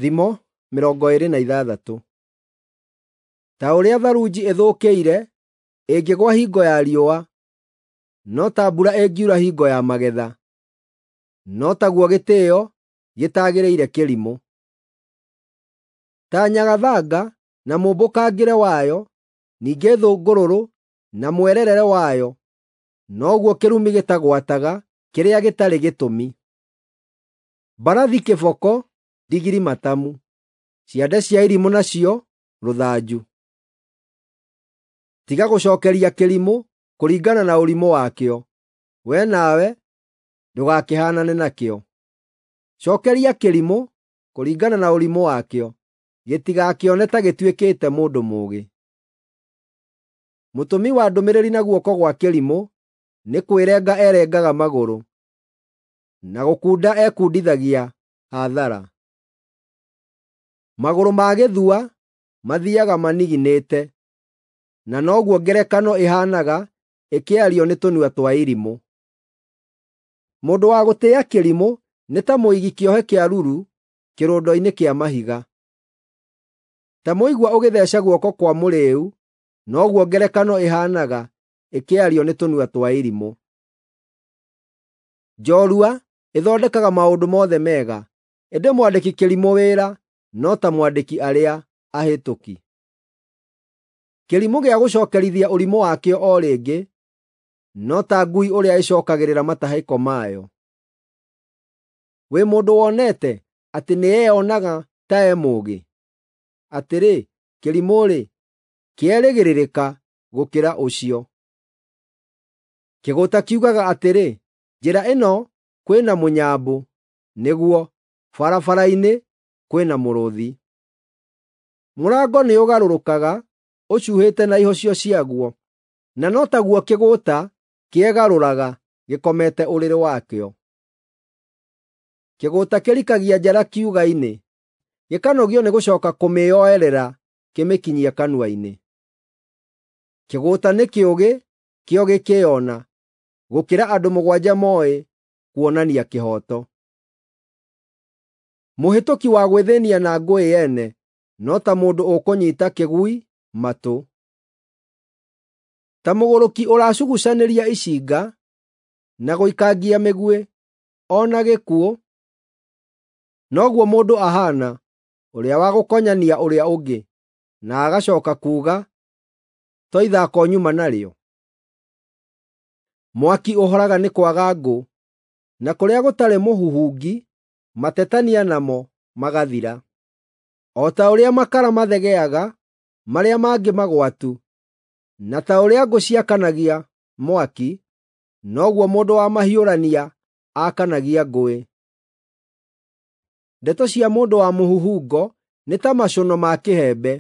Thimo 26. Ta ũrĩa tharunji ĩthũkĩire ĩngĩgũa hingo ya riũa, no ta mbura ĩngiura hingo ya magetha, no taguo gĩtĩĩo gĩtagĩrĩire kĩrimũ. Ta nyagathanga na mũmbũkangĩre wayo, ningĩ thũngũrũrũ na mwererere wayo, noguo kĩrumi gĩtagwataga kĩrĩa gĩtarĩ gĩtũmi. Mbarathi kĩboko, ndigiri matamu, ciande cia irimũ nacio rũthanju. Tiga gũcookeria kĩrimũ kũringana na ũrimũ wakĩo, wee nawe ndũgakĩhaanane nakĩo. Cookeria kĩrimũ kũringana na ũrimũ wakĩo, gĩtigakĩone ta gĩtuĩkĩte mũndũ mũũgĩ. Mũtũmi wa ndũmĩrĩri na guoko gwa kĩrimũ nĩ kwĩrenga erengaga magũrũ, na gũkunda ekundithagia hathara. Magũrũ ma gĩthua mathiiaga maniginĩte, na noguo ngerekano ĩhaanaga ĩkĩario nĩ tũnua twa irimũ. Mũndũ wa gũtĩĩa kĩrimũ nĩ ta mũigi kĩohe kĩa ruru kĩrũndo-inĩ kĩa mahiga. Ta mũigua ũgĩtheeca guoko kwa mũrĩĩu, noguo ngerekano ĩhaanaga ĩkĩario nĩ tũnua twa irimũ. Njorua ĩthondekaga maũndũ mothe mega, ĩndĩ mwandĩki kĩrimũ wĩra no ta mwandĩki arĩa ahĩtũki. Kĩrimũ gĩa gũcookerithia ũrimũ wakĩo o rĩngĩ, no ta ngui ũrĩa ĩcookagĩrĩra matahĩko mayo. Wĩ mũndũ wonete atĩ nĩeyonaga ta e mũũgĩ? Atĩrĩ, kĩrimũ-rĩ, kĩerĩgĩrĩrĩka gũkĩra ũcio. Kĩgũũta kiugaga atĩrĩ, “Njĩra ĩno kwĩ na mũnyambũ,” nĩguo, barabara-inĩ kwĩ na mũrũũthi. Mũrango nĩũgarũrũkaga ũcuuhĩte na ihocio ciaguo, na no taguo kĩgũũta kĩegarũraga gĩkomete ũrĩrĩ wakĩo. Kĩgũũta kĩrikagia njara kiuga-inĩ, gĩkanogio nĩ gũcooka kũmĩoerera kĩmĩkinyie kanua-inĩ. Kĩgũũta nĩ kĩũgĩ kĩo gĩkĩĩona, gũkĩra andũ mũgwanja mooĩ kuonania kĩhooto. Mũhĩtũki wa gwĩthĩnia na ngũĩ yene no ta mũndũ ũkũnyiita kĩgui matũ. Ta mũgũrũki ũracugucanĩria icinga na gũikangia mĩguĩ o na gĩkuũ, noguo mũndũ ahaana ũrĩa wa gũkonyania ũrĩa ũngĩ, na agacooka kuuga, “To ithako nyuma narĩo?” Mwaki ũhoraga nĩ kwaga ngũ, na kũrĩa gũtarĩ mũhuhungi matetania namo magathira. O ta ũrĩa makara mathegeaga marĩa mangĩ magwatu, na ta ũrĩa ngũ ciakanagia mwaki, noguo mũndũ wa mahiũrania aakanagia ngũĩ. Ndeto cia mũndũ wa mũhuhungo nĩ ta macũno ma kĩhembe,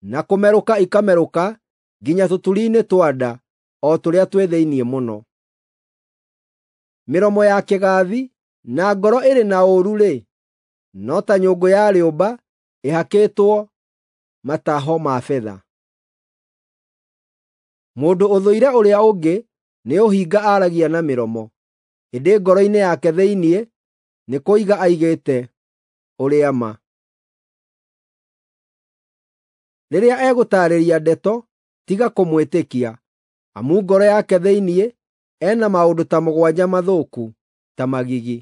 na kũmerũka ikamerũka nginya tũturi-inĩ twa nda o tũrĩa twĩ thĩinĩ mũno. Mĩromo ya kĩgaathi na ngoro ĩrĩ na ũũru-rĩ, no ta nyũngũ ya rĩũmba ĩhakĩtwo mataho ma betha. Mũndũ ũthũire ũrĩa ũngĩ nĩ ũhinga aaragia na mĩromo, ĩndĩ ngoro-inĩ yake thĩinĩ nĩ kũiga aigĩte ũrĩa ma. Rĩrĩa egũtaarĩria ndeto, tiga kũmwĩtĩkia, amu ngoro yake thĩinĩ e na maũndũ ta mũgwanja mathũku ta magigi.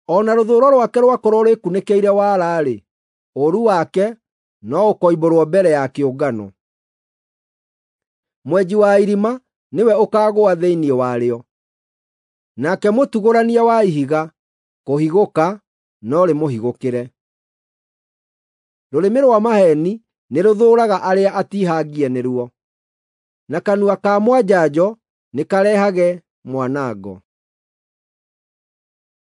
O na rũthũũro rwake rwakorwo rwĩkunĩkĩire wara-rĩ, ũũru wake no ũkoimbũrwo mbere ya kĩũngano. Mwenji wa irima nĩwe ũkaagũa thĩinĩ warĩo, nake mũtugũrania wa ihiga kũhigũka no rĩmũhigũkĩre. Rũrĩmĩ rwa maheeni nĩrũthũũraga arĩa atiihangie nĩruo, na kanua ka mwanjanjo nĩkarehage mwanango.